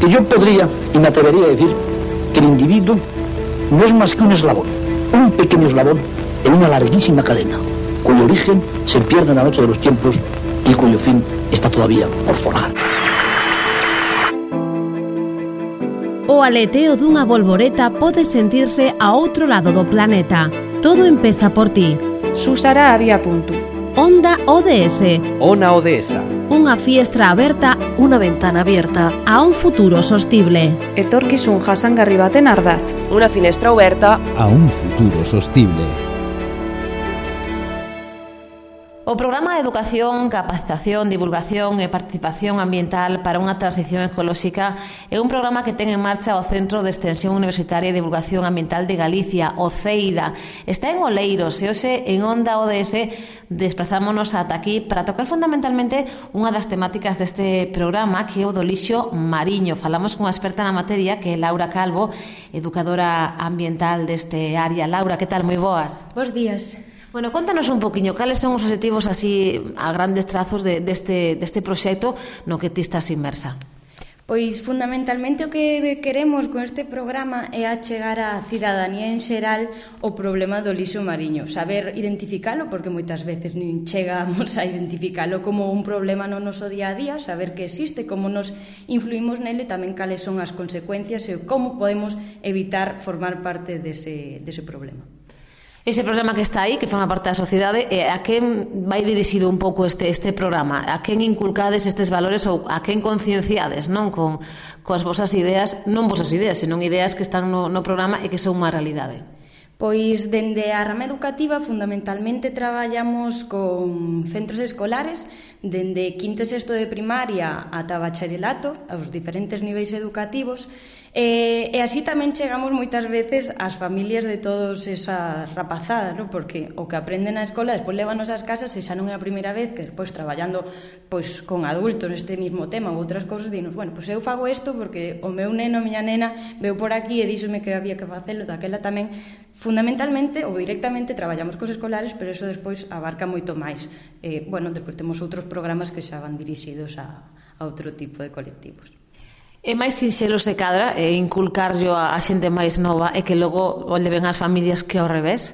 Porque yo podría, y me atrevería a decir, que el individuo no es más que un eslabón, un pequeño eslabón en una larguísima cadena, cuyo origen se pierde en la noche de los tiempos y cuyo fin está todavía por forjar. O aleteo dunha bolboreta pode sentirse a outro lado do planeta. Todo empeza por ti. Susara había punto. Onda ODS. Ona Odesa. Unha fiestra aberta, unha ventana abierta a un futuro sostible. Etorkizun jasangarri baten ardatz. Unha finestra aberta a un futuro sostible. O Programa de Educación, Capacitación, Divulgación e Participación Ambiental para unha Transición Ecolóxica é un programa que ten en marcha o Centro de Extensión Universitaria e Divulgación Ambiental de Galicia, o CEIDA. Está en Oleiros e hoxe en Onda ODS desplazámonos ata aquí para tocar fundamentalmente unha das temáticas deste programa, que é o do lixo mariño. Falamos cunha experta na materia, que é Laura Calvo, educadora ambiental deste área. Laura, que tal? Moi boas. Bos días. Bueno, contanos un poquinho, cales son os obxectivos así a grandes trazos deste proxecto no que ti estás inmersa? Pois fundamentalmente o que queremos con este programa é achegar á cidadanía en xeral o problema do lixo mariño, saber identificalo, porque moitas veces nin chegamos a identificalo como un problema no noso día a día, saber que existe, como nos influímos nele, tamén cales son as consecuencias e como podemos evitar formar parte dese problema. Ese programa que está aí, que forma parte da sociedade, a quen vai dirixido un pouco este programa? A quen inculcades estes valores ou a quen concienciades, non? Coas vosas ideas, non vosas ideas, senón ideas que están no programa e que son unha realidade. Pois, dende a rama educativa, fundamentalmente traballamos con centros escolares, dende quinto e sexto de primaria ata bacharelato, aos diferentes niveis educativos, e así tamén chegamos moitas veces ás familias de todas esas rapazadas, non? Porque o que aprenden na escola despois lévanos ás casas e xa non é a primeira vez que despois traballando pois con adultos neste mismo tema ou outras cousas, dinos, bueno, pois eu fago isto porque o meu neno, a miña nena veu por aquí e díxome que había que facelo, daquela tamén fundamentalmente ou directamente traballamos cos escolares, pero eso despois abarca moito máis. Bueno, despois temos outros programas que xa van dirixidos a outro tipo de colectivos. É máis sinxelo se cadra inculcarlo a xente máis nova e que logo o leven as familias que ao revés?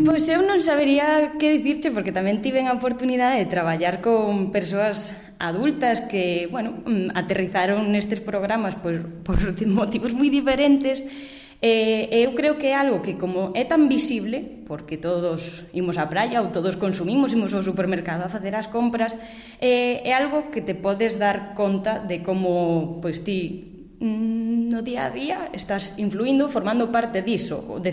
Pois eu non sabería que dicirche, porque tamén tiven a oportunidade de traballar con persoas adultas que, bueno, aterrizaron nestes programas por motivos moi diferentes. Eu creo que é algo que, como é tan visible, porque todos imos á praia ou todos consumimos, imos ao supermercado a facer as compras, é algo que te podes dar conta de como pois ti no día a día estás influindo, formando parte diso, ou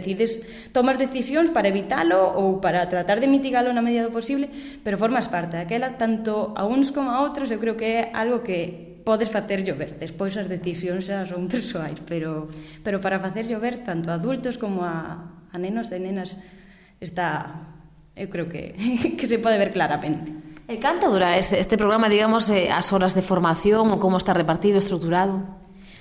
tomas decisións para evitalo ou para tratar de mitigalo na medida do posible, pero formas parte daquela, tanto a uns como a outros. Eu creo que é algo que podes facer llover, despois as decisións xa son persoais, pero para facer llover tanto a adultos como a nenos e nenas está, eu creo que se pode ver claramente. E canto dura este programa, digamos, as horas de formación ou como está repartido, estruturado?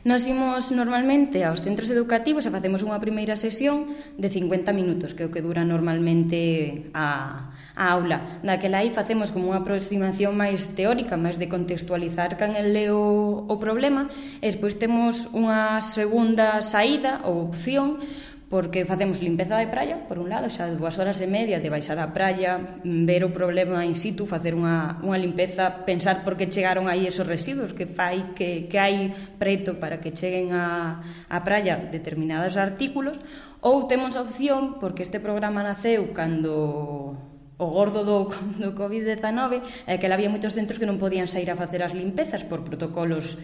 Nos imos normalmente aos centros educativos e facemos unha primeira sesión de 50 minutos, que é o que dura normalmente a aula. Naquela aí facemos como unha aproximación máis teórica, máis de contextualizar can el leo o problema, e despois temos unha segunda saída ou opción, porque facemos limpeza de praia, por un lado, xa 2 horas e media de baixar á praia, ver o problema in situ, facer unha limpeza, pensar por que chegaron aí esos residuos, que hai preto para que cheguen á praia determinados artículos, ou temos a opción, porque este programa naceu cando o gordo do COVID-19, que había moitos centros que non podían sair a facer as limpezas por protocolos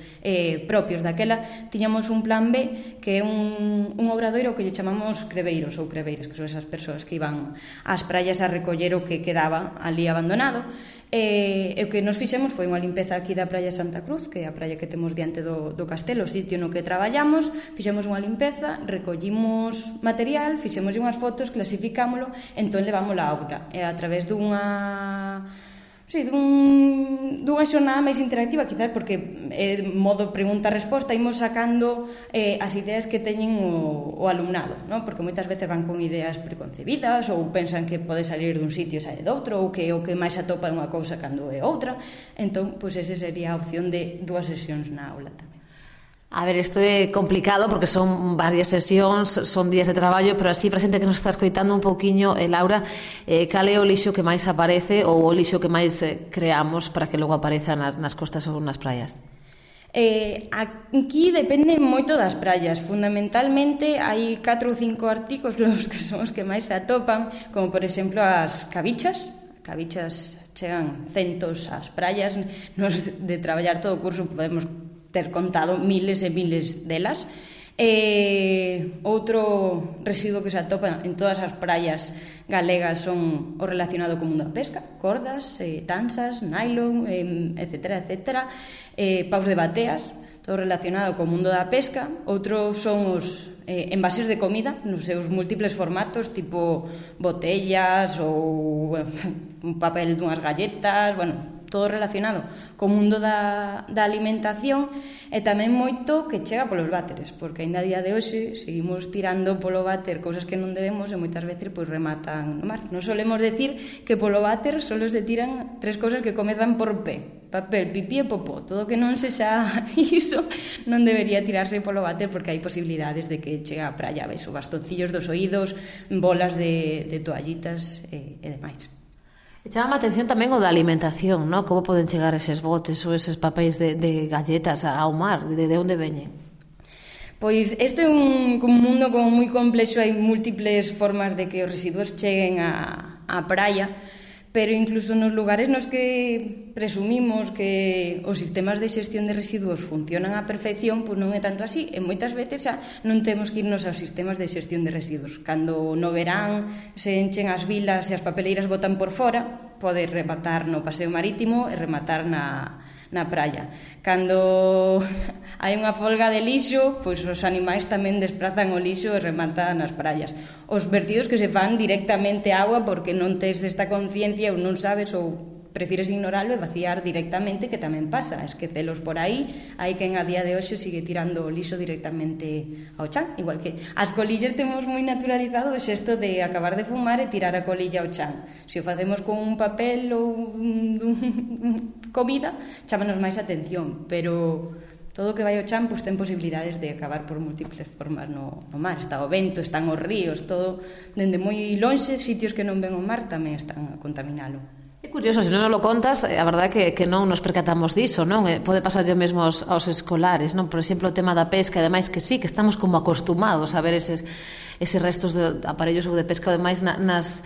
propios. Daquela tiñamos un plan B, que é un obradoiro que lle chamamos creveiros ou creveiras, que son esas persoas que iban ás praias a recoller o que quedaba ali abandonado. E o que nos fixemos foi unha limpeza aquí da praia Santa Cruz, que é a praia que temos diante do castelo, o sitio no que traballamos. Fixemos unha limpeza, recollimos material, fixemos unhas fotos, clasificámolo, entón levámosla á aula. E a través dunha xornada máis interactiva, quizás porque modo pregunta-resposta imos sacando as ideas que teñen o alumnado, non? Porque moitas veces van con ideas preconcebidas ou pensan que pode salir dun sitio e sair doutro, ou que o que máis atopa é unha cousa cando é outra. Entón, pois esa sería a opción de 2 sesións na aula tamén. A ver, isto é complicado porque son varias sesións, son días de traballo, pero así para a xente que nos está escoitando un pouquiño, Laura, cal é o lixo que máis aparece ou o lixo que máis creamos para que logo apareza nas costas ou nas praias? Aquí depende moito das praias. Fundamentalmente hai 4 ou 5 artículos que son os que máis se atopan, como por exemplo as cabichas. Cabichas chegan centos ás praias. Nos de traballar todo o curso podemos ter contado miles e miles delas. Outro residuo que se atopa en todas as praias galegas son o relacionado co mundo da pesca, cordas, tansas, nylon, etcétera, etcétera, paus de bateas, todo relacionado co mundo da pesca. Outros son os envases de comida nos seus múltiples formatos, tipo botellas ou un papel dunhas galletas, bueno, todo relacionado co mundo da alimentación, e tamén moito que chega polos váteres, porque ainda a día de hoxe seguimos tirando polo váter cousas que non debemos e moitas veces pois rematan no mar. Nos solemos decir que polo váter solo se tiran 3 cousas que comezan por P: papel, pipí e popó. Todo que non sexa iso non debería tirarse polo váter, porque hai posibilidades de que chegue á praia, ves, o bastoncillos dos oídos, bolas de toallitas e demais. E chama a atención tamén o da alimentación, ¿no? Como poden chegar eses botes ou eses papéis de galletas ao mar? De onde veñen? Pois este é un mundo como moi complexo, hai múltiples formas de que os residuos cheguen á praia, pero incluso nos lugares nos que presumimos que os sistemas de xestión de residuos funcionan á perfección, pois non é tanto así, e moitas veces xa non temos que irnos aos sistemas de xestión de residuos. Cando no verán se enchen as vilas e as papeleiras botan por fora, pode rematar no paseo marítimo e rematar na praia. Cando hai unha folga de lixo, pois os animais tamén desprazan o lixo e rematan nas praias. Os vertidos que se fan directamente á agua porque non tes esta conciencia ou non sabes ou prefires ignoralo e vaciar directamente, que tamén pasa, esquecelos por aí. Hai quen a día de hoxe sigue tirando o lixo directamente ao chan, igual que as colillas temos moi naturalizado o xesto de acabar de fumar e tirar a colilla ao chan. Se o facemos con un papel ou comida, chámanos máis atención, pero todo o que vai ao chan pois ten posibilidades de acabar por múltiples formas no mar. Está o vento, están os ríos, todo dende moi lonxe, sitios que non ven o mar tamén están a contaminalo. É curioso, se non nos lo contas, a verdade é que non nos percatamos diso, non? Pode pasar yo mesmo aos escolares, non? Por exemplo, o tema da pesca, ademais que sí, que estamos como acostumados a ver eses restos de aparellos ou de pesca, ademais nas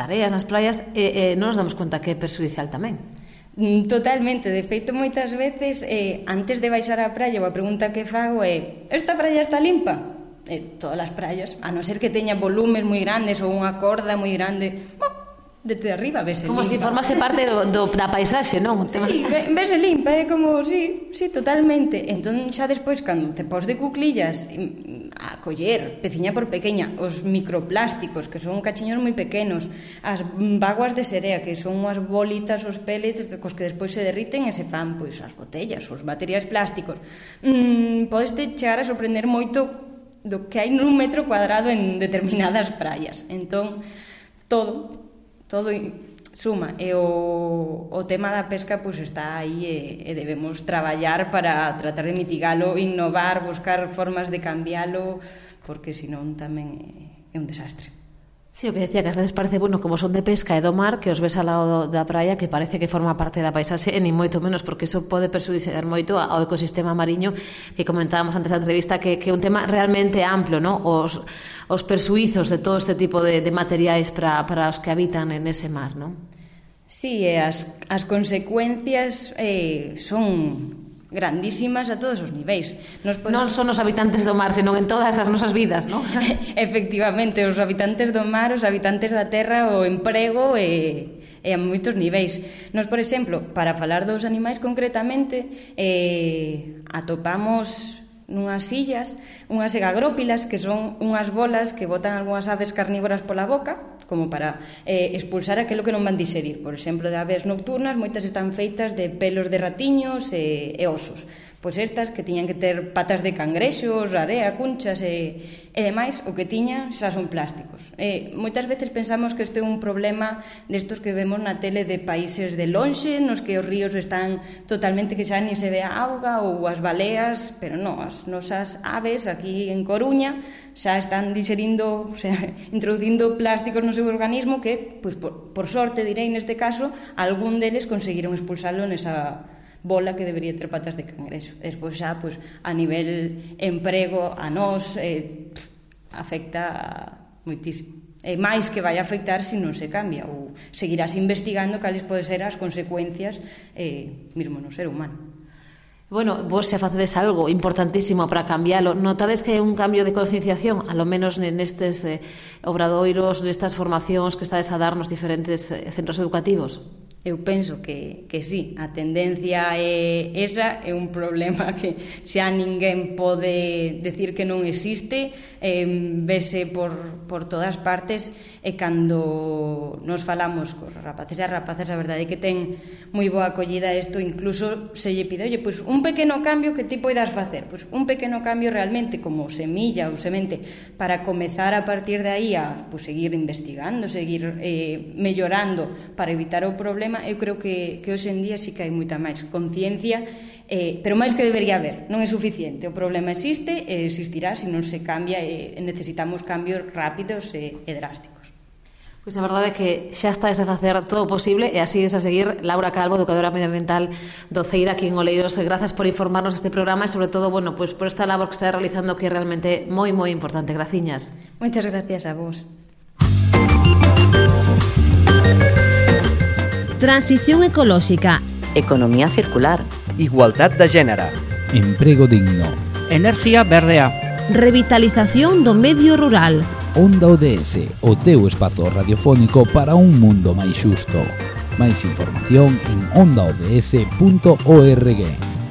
areas, nas praias, e non nos damos conta que é perxudicial tamén. Totalmente, de feito moitas veces antes de baixar á praia, a pregunta que fago é: esta praia está limpa? Todas as praias, a non ser que teña volumes moi grandes ou unha corda moi grande, desde arriba vese como limpa. Se formase parte da paisaxe, non? Sí, vese limpa, é como, sí, totalmente. Entón xa despois, cando te pos de cuclillas a coller, peciña por pequeña, os microplásticos, que son cachiños moi pequenos, as vaguas de serea, que son unhas bolitas, os pellets, cos que despois se derriten e se fan, pois, as botellas, os materiais plásticos. Podeste chegar a sorprender moito do que hai nun metro cuadrado en determinadas praias. Entón, todo suma, e o tema da pesca pois está aí e debemos traballar para tratar de mitigalo, innovar, buscar formas de cambialo, porque senón tamén é un desastre. Sí, o que decía, que ás veces parece, bueno, como son de pesca e do mar, que os ves ao lado da praia, que parece que forma parte da paisaxe, e nin moito menos, porque iso pode perxudiciar moito ao ecosistema mariño, que comentábamos antes da entrevista, que é un tema realmente amplo, ¿no? Os persuizos de todo este tipo de materiais para os que habitan en ese mar, ¿no? Sí, e as consecuencias son grandísimas a todos os niveis. Non son os habitantes do mar, senón en todas as nosas vidas, non? Efectivamente, os habitantes do mar, os habitantes da terra, o emprego e a moitos niveis. Nos, por exemplo, para falar dos animais concretamente, atopamos nunhas illas unhas egagrópilas, que son unhas bolas que botan algunhas aves carnívoras pola boca, como para expulsar aquilo que non van digerir. Por exemplo, de aves nocturnas, moitas están feitas de pelos de ratiños e osos. pois estas que tiñan que ter patas de cangrexos, area, cunchas e demais, o que tiñan xa son plásticos. Moitas veces pensamos que este é un problema destos que vemos na tele de países de lonxe, nos que os ríos están totalmente que xa ni se ve a auga ou as baleas, pero non, as nosas aves aquí en Coruña xa están digerindo, o sea, introducindo plásticos no seu organismo que, pois, por sorte, direi neste caso, algún deles conseguiron expulsalo nesa bola que debería ter patas de cangrexo. Despois xa, pois, a nivel emprego, a nós, afecta moitísimo. E máis que vai afectar se non se cambia, ou seguirás investigando cales poden ser as consecuencias mesmo no ser humano. Bueno, vos xa facedes algo importantísimo para cambialo. Notades que hai un cambio de concienciación, a lo menos nestes obradoiros, nestas formacións que estades a dar nos diferentes centros educativos? Eu penso que sí, a tendencia é esa, é un problema que xa ninguén pode decir que non existe, vese por todas partes, e cando nos falamos cos rapaces e as rapazas, a verdade é que ten moi boa acollida isto, incluso se lle pide, oye, pois un pequeno cambio que ti poidas facer, pois un pequeno cambio realmente como semilla ou semente para comezar a partir de aí a seguir investigando, seguir mellorando para evitar o problema. Eu creo que hoxe en día sí que hai moita máis conciencia, pero máis que debería haber, non é suficiente. O problema existe e existirá se non se cambia, e necesitamos cambios rápidos e drásticos. Pois a verdade é que xa estáis a facer todo o posible e así es a seguir. Laura Calvo, educadora medioambiental do CEID aquí en Oleiros, gracias por informarnos este programa e sobre todo, bueno, pois por esta labor que está realizando que é realmente moi importante. Graciñas. Moitas gracias a vos. Transición ecolóxica, Economía circular, igualdad de género, Emprego digno, energía verdea, revitalización do medio rural. Onda ODS, o teu espazo radiofónico para un mundo máis xusto. Máis información en ondaods.org.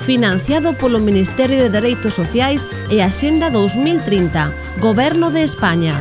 Financiado polo Ministerio de Dereitos Sociais e Axenda 2030, Goberno de España.